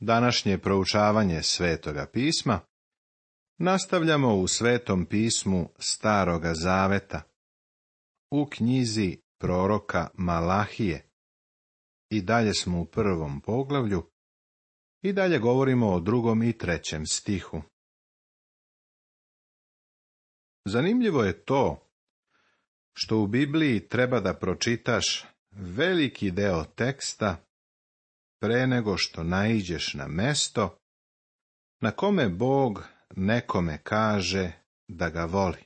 Današnje proučavanje Svetoga pisma nastavljamo u Svetom pismu Staroga zaveta, u knjizi proroka Malahije. I dalje smo u 1. poglavlju i dalje govorimo o 2. i 3. stihu. Zanimljivo je to što u Bibliji treba da pročitaš veliki deo teksta pre nego što naiđeš na mesto na kome Bog nekome kaže da ga voli.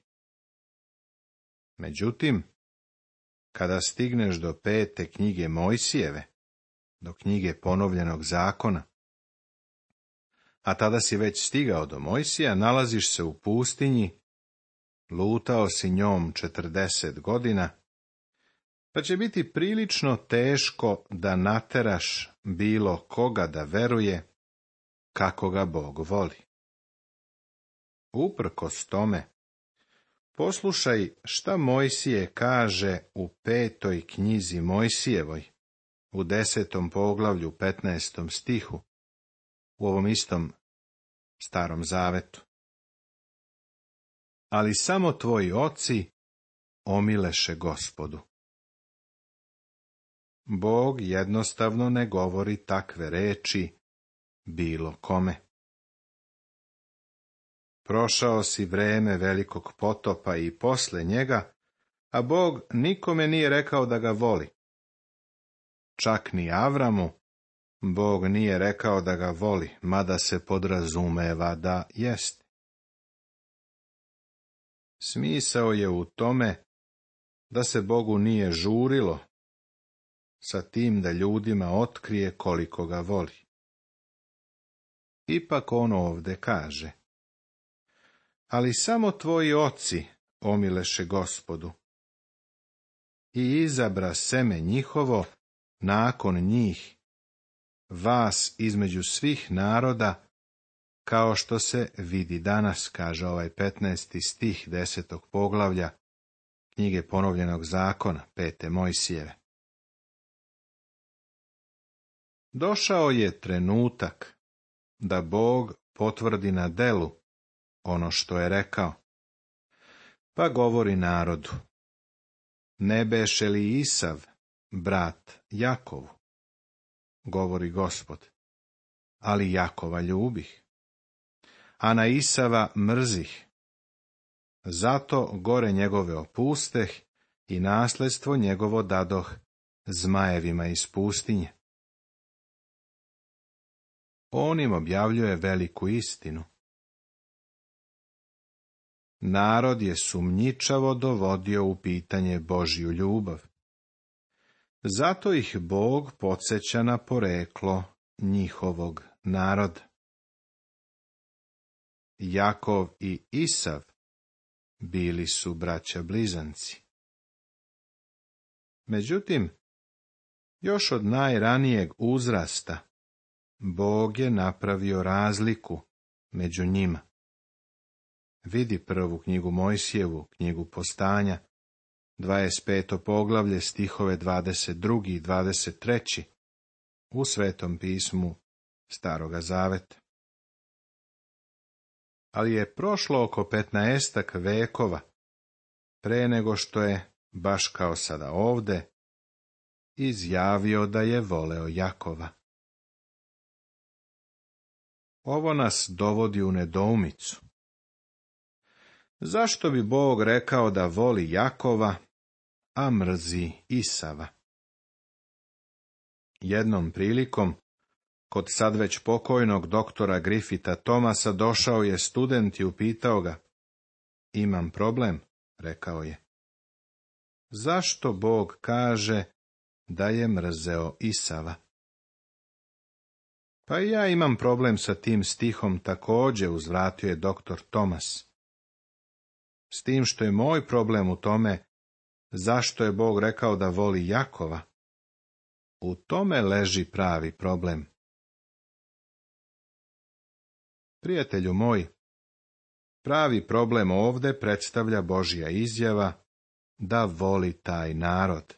Međutim, kada stigneš do 5. knjige Mojsijeve, do knjige ponovljenog zakona, a tada si već stigao do Mojsija, nalaziš se u pustinji, lutao si njom 40 godina, pa će biti prilično teško da nateraš bilo koga da veruje kako ga Bog voli. Uprkos tome, poslušaj šta Mojsije kaže u 5. knjizi Mojsijevoj, u 10. poglavlju 15. stihu, u ovom istom Starom zavetu. Ali samo tvoji oci omileše Gospodu. Bog jednostavno ne govori takve reči bilo kome. Prošao si vreme velikog potopa i posle njega, a Bog nikome nije rekao da ga voli. Čak ni Avramu Bog nije rekao da ga voli, mada se podrazumeva da jeste. Smisao je u tome da se Bogu nije žurilo sa tim da ljudima otkrije koliko ga voli. Ipak on ovde kaže: ali samo tvoji oci omileše Gospodu i izabra seme njihovo nakon njih, vas između svih naroda, kao što se vidi danas, kaže ovaj 15. stih 10. poglavlja knjige ponovljenog zakona, 5. Mojsijeve. Došao je trenutak da Bog potvrdi na delu ono što je rekao. Pa govori narodu: ne beše li Isav brat Jakovu? Govori Gospod: ali Jakova ljubih, a na Isava mrzih. Zato gore njegove opusteh i nasledstvo njegovo dadoh zmajevima iz pustinje. On im objavljuje veliku istinu. Narod je sumnjičavo dovodio u pitanje Božju ljubav. Zato ih Bog podsjeća na poreklo njihovog naroda. Jakov i Isav bili su braća blizanci. Međutim, još od najranijeg uzrasta Bog je napravio razliku među njima. Vidi 1. knjigu Mojsijevu, knjigu Postanja, 25. poglavlje, stihove 22. i 23. u Svetom pismu Staroga zaveta. Ali je prošlo oko 15 vekova pre nego što je, baš kao sada ovde, izjavio da je voleo Jakova. Ovo nas dovodi u nedoumicu. Zašto bi Bog rekao da voli Jakova, a mrzi Isava? Jednom prilikom, kod sad već pokojnog doktora Griffitha Thomasa, došao je student i upitao ga: imam problem, rekao je. Zašto Bog kaže da je mrzeo Isava? Pa i ja imam problem sa tim stihom također, uzvratio je doktor Thomas. S tim što je moj problem u tome zašto je Bog rekao da voli Jakova. U tome leži pravi problem. Prijatelju moj, pravi problem ovde predstavlja Božja izjava da voli taj narod.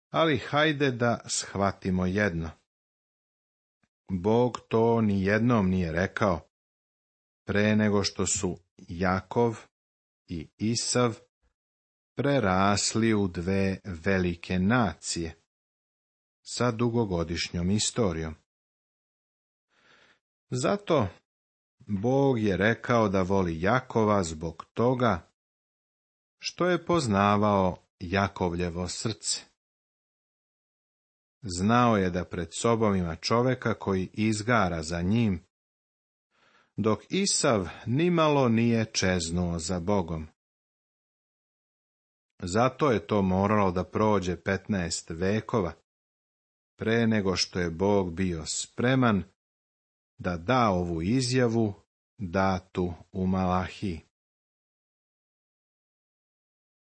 Ali hajde da shvatimo jedno. Bog to ni jednom nije rekao, pre nego što su Jakov i Isav prerasli u dve velike nacije sa dugogodišnjom istorijom. Zato Bog je rekao da voli Jakova zbog toga što je poznavao Jakovljevo srce. Znao je da pred sobom ima čoveka koji izgara za njim, dok Isav nimalo nije čeznuo za Bogom. Zato je to moralo da prođe 15 vekova, pre nego što je Bog bio spreman da da ovu izjavu datu u Malahiji.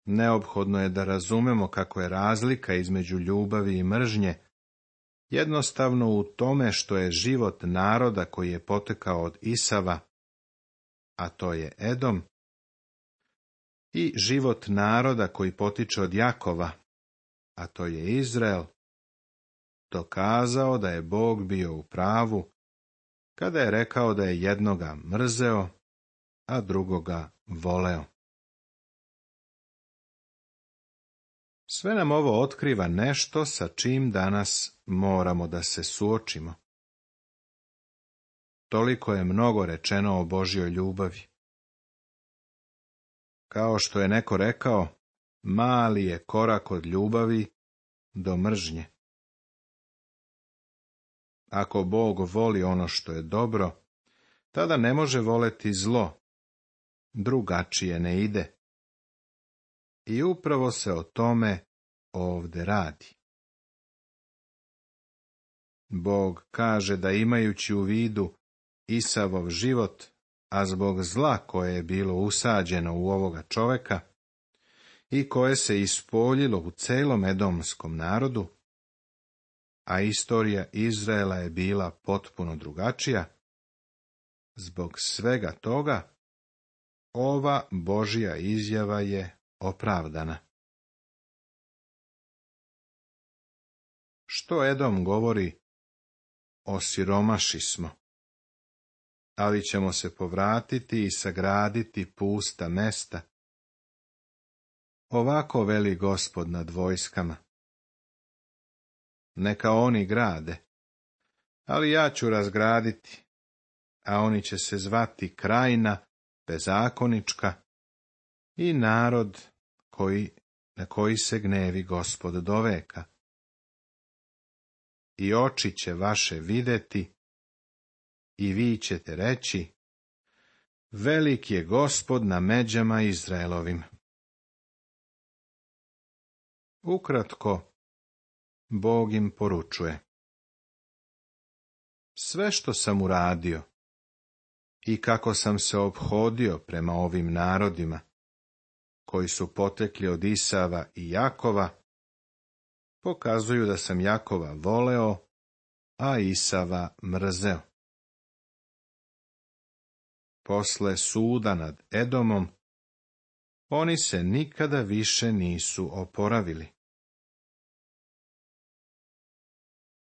Neophodno je da razumemo kako je razlika između ljubavi i mržnje jednostavno u tome što je život naroda koji je potekao od Isava, a to je Edom, i život naroda koji potiče od Jakova, a to je Izrael, dokazao da je Bog bio u pravu kada je rekao da je jednoga mrzeo, a drugoga voleo. Sve nam ovo otkriva nešto sa čim danas moramo da se suočimo. Toliko je mnogo rečeno o Božjoj ljubavi. Kao što je neko rekao, mali je korak od ljubavi do mržnje. Ako Bog voli ono što je dobro, tada ne može voleti zlo, drugačije ne ide. I upravo se o tome ovde radi. Bog kaže da imajući u vidu Isavov život, a zbog zla koje je bilo usađeno u ovoga čoveka i koje se ispoljilo u celom edomskom narodu, a istorija Izraela je bila potpuno drugačija, zbog svega toga ova Božja izjava je opravdana. Što Edom govori? Osiromaši smo, ali ćemo se povratiti i sagraditi pusta mesta. Ovako veli Gospod nad vojskama. Neka oni grade, ali ja ću razgraditi, a oni će se zvati krajina bezakonička i narod na koji se gnevi Gospod do veka. I oči će vaše videti, i vi ćete reći, velik je Gospod na međama Izraelovim. Ukratko, Bog im poručuje. Sve što sam uradio i kako sam se ophodio prema ovim narodima, koji su potekli od Isava i Jakova, pokazuju da sam Jakova voleo, a Isava mrzeo. Posle suda nad Edomom, oni se nikada više nisu oporavili.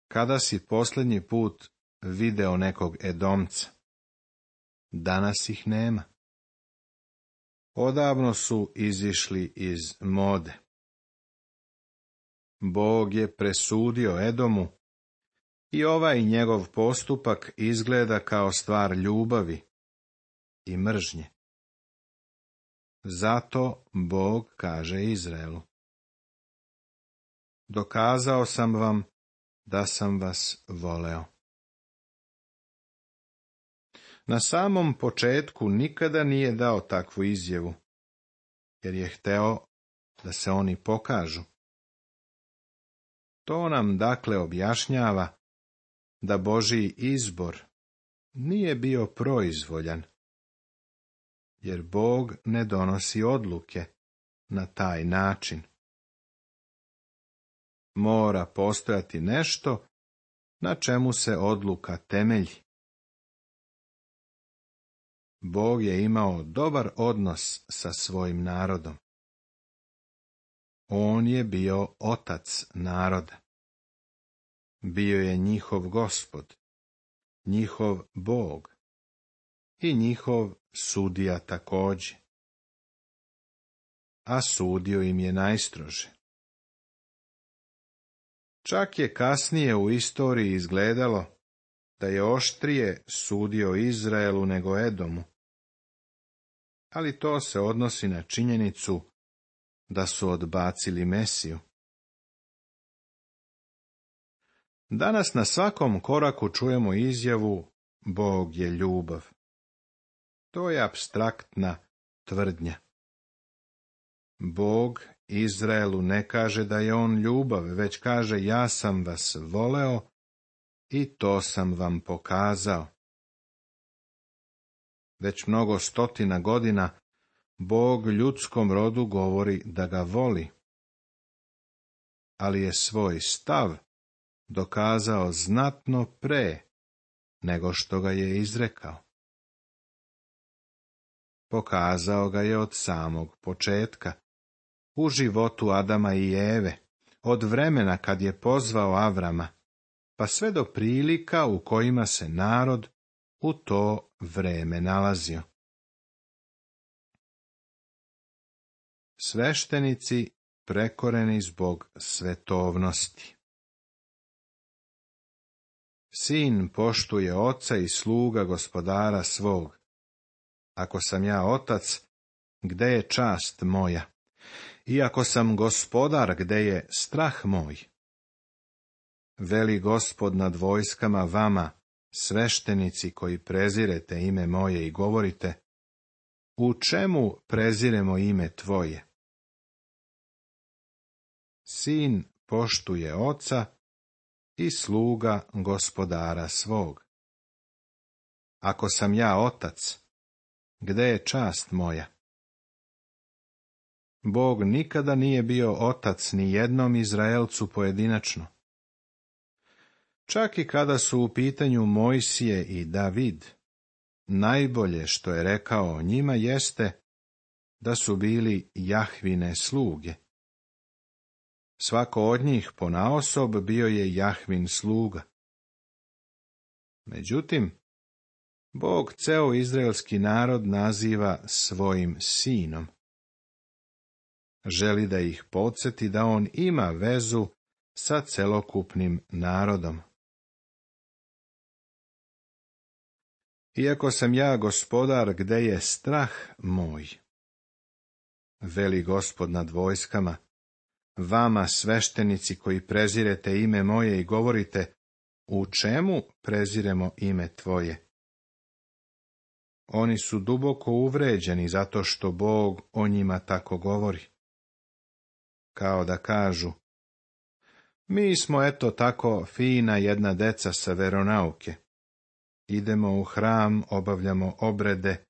Kada si posljednji put video nekog Edomca? Danas ih nema. Odavno su izišli iz mode. Bog je presudio Edomu i ovaj njegov postupak izgleda kao stvar ljubavi i mržnje. Zato Bog kaže Izraelu: dokazao sam vam da sam vas voleo. Na samom početku nikada nije dao takvu izjavu, jer je hteo da se oni pokažu. To nam dakle objašnjava da Božji izbor nije bio proizvoljan, jer Bog ne donosi odluke na taj način. Mora postojati nešto na čemu se odluka temelji. Bog je imao dobar odnos sa svojim narodom. On je bio otac naroda. Bio je njihov Gospod njihov Bog i njihov sudija također. A sudio im je najstrože. Čak je kasnije u istoriji izgledalo da je oštrije sudio Izraelu nego Edomu. Ali to se odnosi na činjenicu da su odbacili Mesiju. Danas na svakom koraku čujemo izjavu Bog je ljubav. To je apstraktna tvrdnja. Bog Izraelu ne kaže da je on ljubav, već kaže ja sam vas voleo i to sam vam pokazao. Već mnogo stotina godina Bog ljudskom rodu govori da ga voli, ali je svoj stav dokazao znatno pre nego što ga je izrekao. Pokazao ga je od samog početka, u životu Adama i Eve, od vremena kad je pozvao Avrama, pa sve do prilika u kojima se narod u to vreme nalazio. Sveštenici prekoreni zbog svetovnosti. Sin poštuje oca i sluga gospodara svog. Ako sam ja otac, gde je čast moja? I ako sam gospodar, gde je strah moj? Veli Gospod nad vojskama vama, sveštenici koji prezirete ime moje i govorite, u čemu preziremo ime tvoje? Sin poštuje oca i sluga gospodara svog. Ako sam ja otac, gde je čast moja? Bog nikada nije bio otac ni jednom Izraelcu pojedinačno. Čak i kada su u pitanju Mojsije i David, najbolje što je rekao o njima jeste da su bili Jahvine sluge. Svako od njih ponaosob bio je Jahvin sluga. Međutim, Bog ceo izraelski narod naziva svojim sinom. Želi da ih podsjeti da on ima vezu sa celokupnim narodom. Iako sam ja gospodar, gde je strah moj? Veli Gospod nad vojskama, vama sveštenici koji prezirete ime moje i govorite, u čemu preziremo ime tvoje? Oni su duboko uvređeni zato što Bog o njima tako govori. Kao da kažu, mi smo eto tako fina jedna deca sa veronauke. Idemo u hram, obavljamo obrede,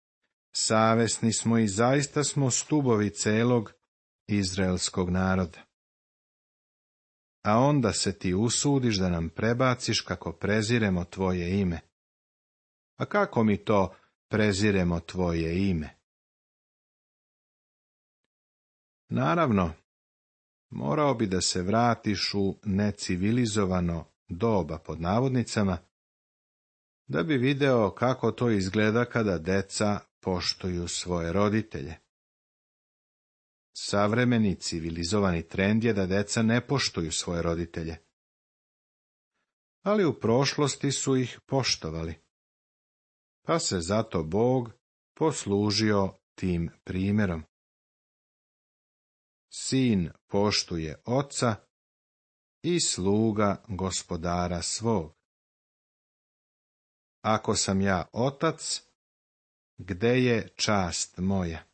savesni smo i zaista smo stubovi celog izraelskog naroda. A onda se ti usudiš da nam prebaciš kako preziremo tvoje ime. A kako mi to preziremo tvoje ime? Naravno, morao bi da se vratiš u necivilizovano doba pod navodnicama, da bi video kako to izgleda kada deca poštuju svoje roditelje. Savremeni civilizovani trend je da deca ne poštuju svoje roditelje. Ali u prošlosti su ih poštovali. Pa se zato Bog poslužio tim primjerom. Sin poštuje oca i sluga gospodara svog. Ako sam ja otac, gde je čast moja?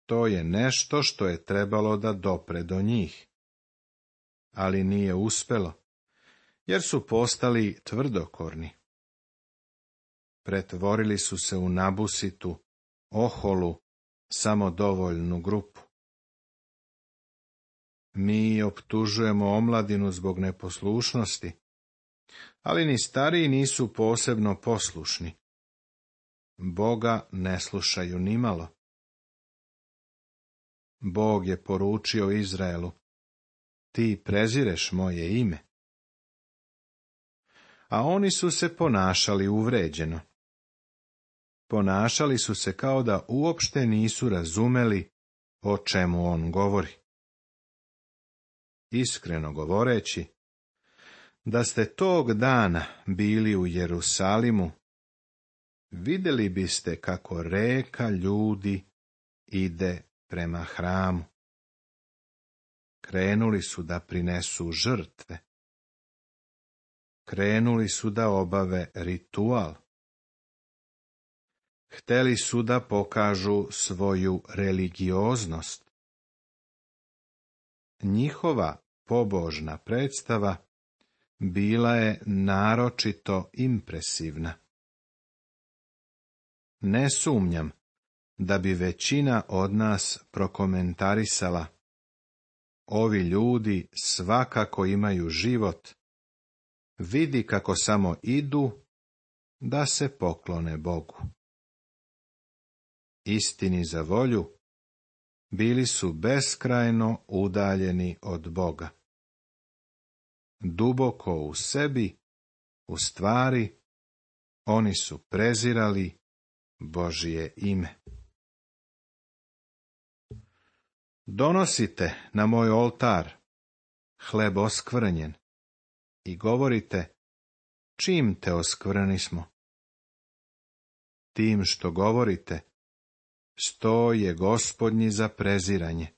To je nešto što je trebalo da dopre do njih. Ali nije uspelo, jer su postali tvrdokorni. Pretvorili su se u nabusitu, oholu, samodovoljnu grupu. Mi optužujemo omladinu zbog neposlušnosti, ali ni stariji nisu posebno poslušni. Boga ne slušaju nimalo. Bog je poručio Izraelu, ti prezireš moje ime. a oni su se ponašali uvređeno. Ponašali su se kao da uopšte nisu razumeli o čemu on govori. Iskreno govoreći, da ste tog dana bili u Jerusalimu, vidjeli biste kako reka ljudi ide prema hramu. Krenuli su da prinesu žrtve. Krenuli su da obave ritual. Hteli su da pokažu svoju religioznost. Njihova pobožna predstava bila je naročito impresivna. Ne sumnjam da bi većina od nas prokomentarisala: ovi ljudi svakako imaju život, vidi kako samo idu da se poklone Bogu. Istini za volju, bili su beskrajno udaljeni od Boga. Duboko u sebi, u stvari, oni su prezirali Božje ime. Donosite na moj oltar hleb oskvrnjen i govorite: čim te oskvrnismo? Tim što govorite, sto je Gospodnji za preziranje.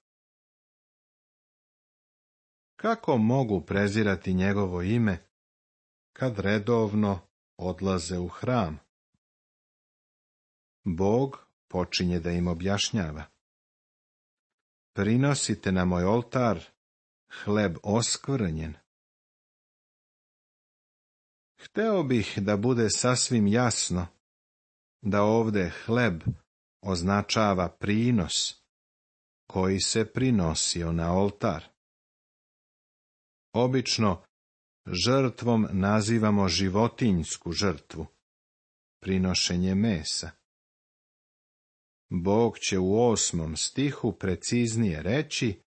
Kako mogu prezirati njegovo ime, kad redovno odlaze u hram? Bog počinje da im objašnjava: prinosite na moj oltar hleb oskvrnjen. Hteo bih da bude sasvim jasno da ovde hleb označava prinos koji se prinosio na oltar. Obično žrtvom nazivamo životinjsku žrtvu, prinošenje mesa. Bog će u 8. stihu preciznije reći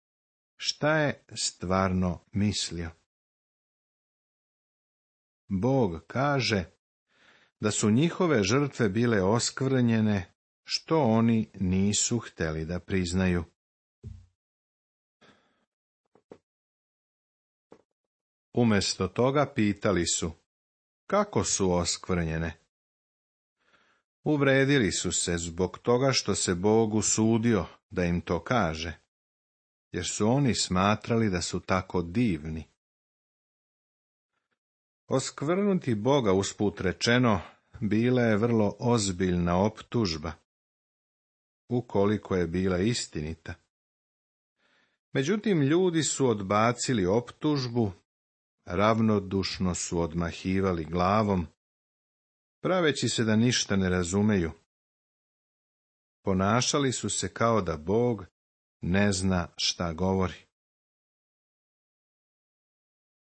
šta je stvarno mislio. Bog kaže da su njihove žrtve bile oskvrnjene, što oni nisu hteli da priznaju. Umjesto toga pitali su: kako su oskvrnjene? Uvredili su se zbog toga što se Bog usudio da im to kaže, jer su oni smatrali da su tako divni. Oskvrnuti Boga, usput rečeno, bila je vrlo ozbiljna optužba, ukoliko je bila istinita. Međutim, ljudi su odbacili optužbu, ravnodušno su odmahivali glavom, praveći se da ništa ne razumeju. Ponašali su se kao da Bog ne zna šta govori.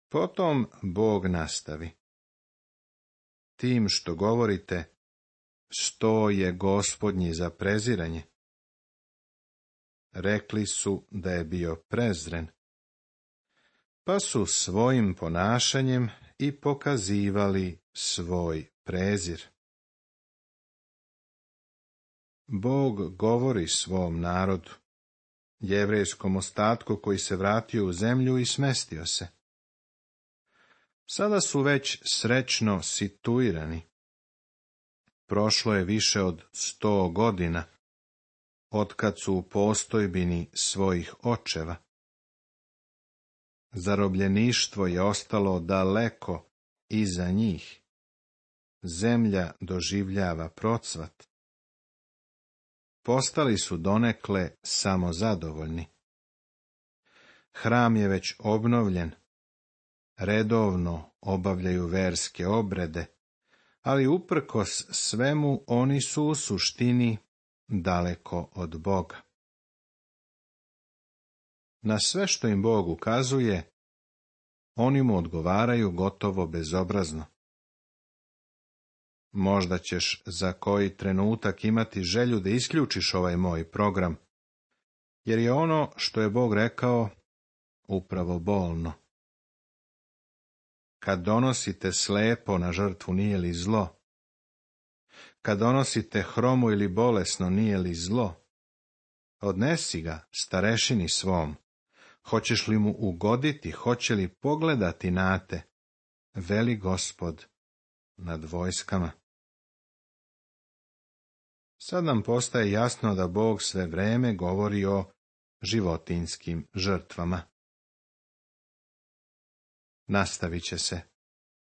Potom Bog nastavi: tim što govorite, sto je Gospodnji za preziranje. Rekli su da je bio prezren, pa su svojim ponašanjem i pokazivali svoj prezir. Bog govori svom narodu, jevrejskom ostatku koji se vratio u zemlju i smestio se. Sada su već srećno situirani. Prošlo je više od 100 godina, otkad su u postojbini svojih očeva. Zarobljeništvo je ostalo daleko iza njih. Zemlja doživljava procvat. Postali su donekle samozadovoljni. Hram je već obnovljen. Redovno obavljaju verske obrede, ali uprkos svemu oni su u suštini daleko od Boga. Na sve što im Bog ukazuje, oni mu odgovaraju gotovo bezobrazno. Možda ćeš za koji trenutak imati želju da isključiš ovaj moj program, jer je ono što je Bog rekao upravo bolno. kad donosite slepo na žrtvu, nije li zlo? Kad donosite hromu ili bolesno, nije li zlo? Odnesi ga starešini svom. Hoćeš li mu ugoditi, hoće li pogledati na te, veli Gospod nad vojskama. Sad nam postaje jasno da Bog sve vreme govori o životinjskim žrtvama. Nastavit će se